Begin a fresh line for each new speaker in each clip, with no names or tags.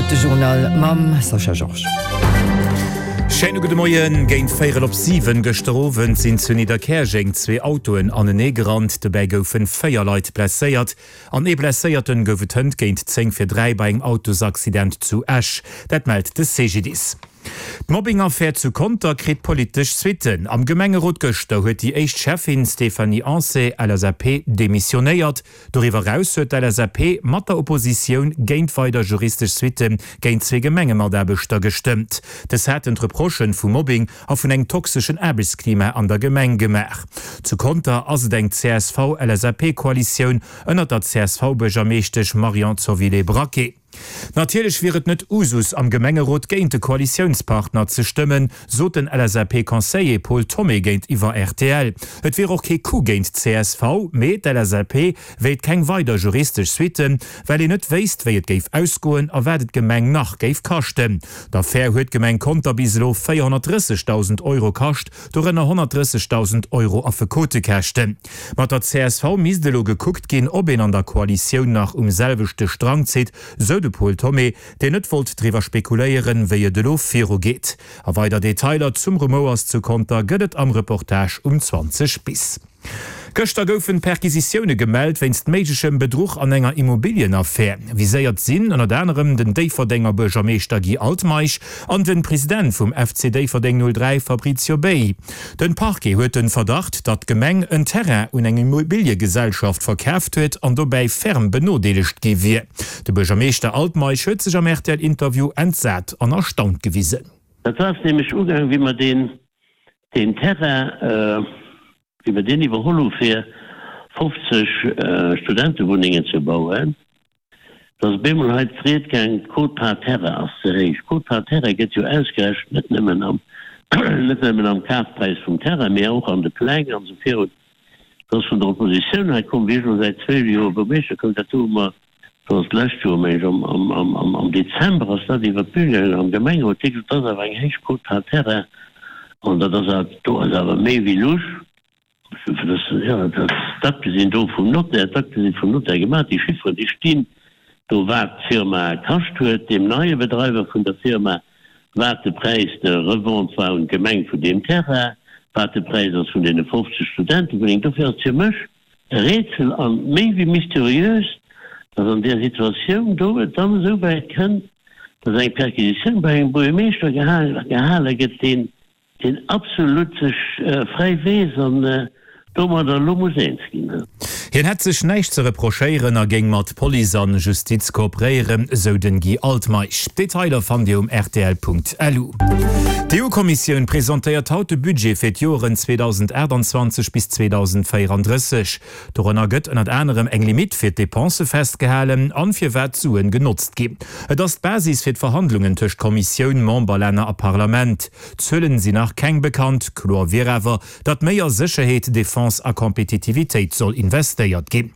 kënnt de Journal mam Sascha Georges.
Schéine gudde Moien. Géint véierel op 7 gëschter Owend sinn zu Nidderkäerjeng zwee Autoen anenee gerannt. Dobäi goufen 4 Leit blesséiert an ee Blesséierten gouf et hënt géint 10 fir 3 bei engem Autosaccident zu Esch. Dat mellt de CGDIS. D'Mobbing-Affär zu Conter kritt politesch Suitten. Am Gemengerot gëschter huet déi éischt Schäffin Stéphanie Ancet, LSAP, demissionéiert. Doriwwer eraus huet d'LSAP mat der Oppositioun géint weider juristesch Suitte géint zwee Gemengemataarbechter gestëmmt. Dës haten d'Reprochen vu Mobbing a vun engem toxeschen Aarbechtsklima an der Gemeng gemaach. Zu Conter ass et eng CSV-LSAP-Koalitioun ënnert der CSV-Buergermeeschtesch Marion Zovilé-Braquet. Natierlech wier et net Usus am Gemengerot géint de Koalitiounspartner ze stëmmen, sot den LSAP-Conseiller Paul Thomé géintiwwer rtl. Et wier och kee Coup géint d'CSV, mee d'LSAP wéilt keng weider juristesch Suitten, well een net wéisst, wéi et géif ausgoen a wat et d'Gemeng nach géif kaschten. D'Affär huet d'Gemeng Conter bis elo 430.000 Euro kascht, dorënner 130.000 Euro Affekotekäschten. Mat der csv misst elo gekuckt ginn, ob een an der Koalitioun nach um selwechte Strang zitt, sou de Paul Thomé, deen net wollt driwwer spekuléieren, wéi et elo viru geet. A weider Detailer zum Rumouers zu Conter gëtt et am Reportage um 20 bis. Gëschter goufen Perquisitioune gemellt wéinst méiglechem Bedruch an enger Immobilienaffär. Viséiert sinn ënnert anerem den Déifferdenger Buergermeeschter Guy Altmeisch an den President vum FC Déifferdeng 03 Fabrizio Bei. Den Parquet huet den Verdacht, datt d'Gemeng en Terrain un eng Immobiliegesellschaft verkaaft huet an dobäi ferm benodeelegt gi wier. De Buergermeeschter Altmeisch huet sech am RTL-Interview entsat an erstaunt gewisen.
Dat ass nämlech ugaang, wéi mer deen, deen Terrain, wéi mer deen iwwerholl hu fir 50 Studentewunnengen ze bauen. Et ass op eemol hei d'Ried gaang, d'Quote par terre ass ze héich. D'Quote par terre gëtt jo ausgerechent net nëmmen am, net nëmmen am Kafpräis vum Terrain, mee och an de Pläng an esou virun. Et ass vun der Oppositioun hei komm, wéi ech elo säit zwéi Joer Buergermeeschter koum, dat do hu mer, dat ass d'lescht Joer, meng ech, am, am, am, am, am Dezember ass dat iwwert d'Bün gaangen am Gemengerot, déi gesot, dat ass awer eng héich Quote par terre an dat ass awer, do ass awer méi wéi lusch. D'Akte sinn do vum Notaire, d'Akte si vum Notaire gemaach, déi Chifferen, déi stinn do, wat d'Firma kascht huet, deem neie Bedreiwer vun der Firma, wat de Präis de revente war un d'Gemeng vun deem Terrain, wat de Präis ass vun deene 50 Studentewunnengen. Dofir ass et fir mech e Rätsel a méi wéi mysteriös, datt an där Situatioun do et dann esou wäit kënnt, datt eng Perquisitioun bei engem Buergermeeschter gehale gëtt, deen Deen absolut sech fräi weess an domadder elo muss eens ginn.
Hien hätt sech näischt ze reprochéieren a géing mat Police an Justiz kooperéieren, sou den Guy Altmeisch. Detailer fannt Dir um rtl.lu. D'EU-Kommissioun presentéiert haut de Budget fir d'Joeren 2028 bis 2034. Dorënner gëtt ënnert anerem eng Limitt fir d'Depensë festgehalen an firwat d'Suen genotzt ginn. Et ass d'Basis fir d'Verhandlungen tëscht Kommissioun, Memberlänner a Parlament. Zuelen sinn nach keng bekannt, kloer wier awer, datt méi a Sécherheet, Defense a Kompetitivitéit soll investéiert ginn.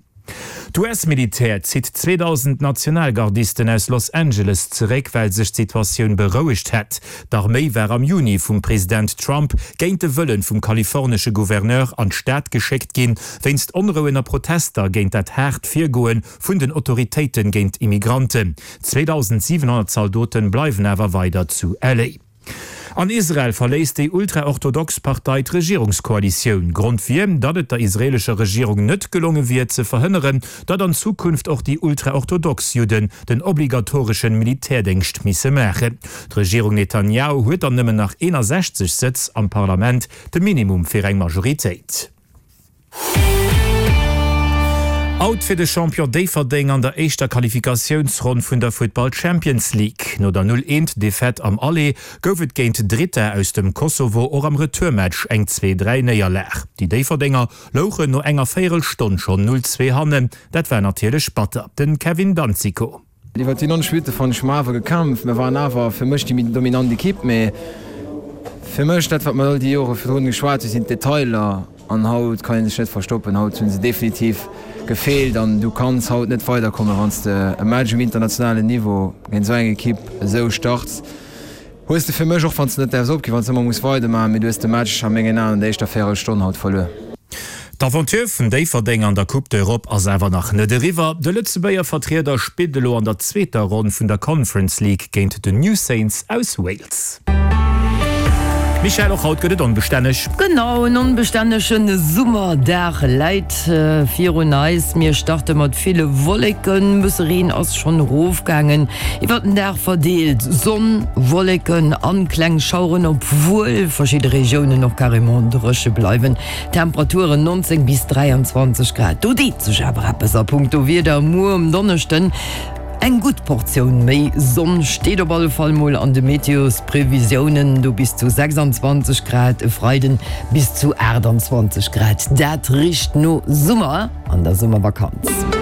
D'US-Militär zitt 2.000 Nationalgardisten aus Los Angeles zeréck, well sech d'Situatioun berouegt hätt. D'Arméi war am Juni vum President Trump géint de Wëllen vum kalifornesche Gouverneur an d'Stad geschéckt ginn, wéinst Onrouen a Protester géint dat haart Virgoe vun den Autoritéiten géint Immigranten. 2.700 Zaldoten bleiwen awer weider zu LA. An Israel verléisst déi ultraorthodox Partei d'Regierungskoalitioun. Grond wier, datt et der israeelescher Regierung net gelonge wier, ze verhënneren, datt an Zukunft och déi ultraorthodox Judden den obligatoreschen Militärdéngscht misse maachen. D'Regierung Netanjahu huet dann nëmmen nach 61 Sëtz am Parlament, de Minimum fir eng Majoritéit. Out fir de Champion Déifferdeng an der éischter Qualifikatiounsronn vun der Futtball Champions League. No der 0, 1 Defaite am Aller gouf et géint Drita aus dem Kosovo och am Retourmatch eng 2, 3 Néierlag. Déi Déifferdenger louchen no enger Véierelstonn schonn 0, 2 hannen. Dat war natierlech batter. Den Kevin Danzico.
Iwwer déi 90 Minutte fannen ech hu mer awer gekämpft. Mir waren awer fir mech déi méi dominant Ekipp, mee fir mech dat wat mer all déi Jore virdrun geschwat hu sinn d'Detailer an haut kann ee sech net verstoppen. Haut hu se definitiv gefeelt an du kanns haut net weiderkommen, wann s de e Match um internationalen Niveau géint esou eng Ekipp esou starts. Hues de fir mech, och wann s de net däerfs opginn, wann s de ëmmer muss weidermaachen, mee du hues de Match a mengen Aen an der éischter Véierelstonn haut verluer.
D'Aventure vun Déifferdeng an der Coupe d'Europe ass awer nach net eriwwer. De Lëtzebuerger Vertrieder spillt elo an der zweeter Ronn vun der Conference League géint den New Saints aus Wales. Michèle, och haut gëtt et onbestänneg.
Genau, en onbestännege Summerdag läit virun eis. Mir starte mat ville Wolleken, bësse Reen ass schonn erofgaangen. Iwwert den Dag verdeelt Sonn, Wolleken an kleng Schaueren, obwuel verschidde Regiounen och carrément dréche bleiwen. Temperaturen 19 bis 23 Grad. Do deet sech awer eppes a punkto Wieder muer um Donneschden. Eng gutt Portioun méi Sonn steet op alle Fall mol an de Meteosprevisiounen, do bis zu 26 Grad, e Freiden bis zu 28 Grad. Dat richt no Summer an der Summervakanz.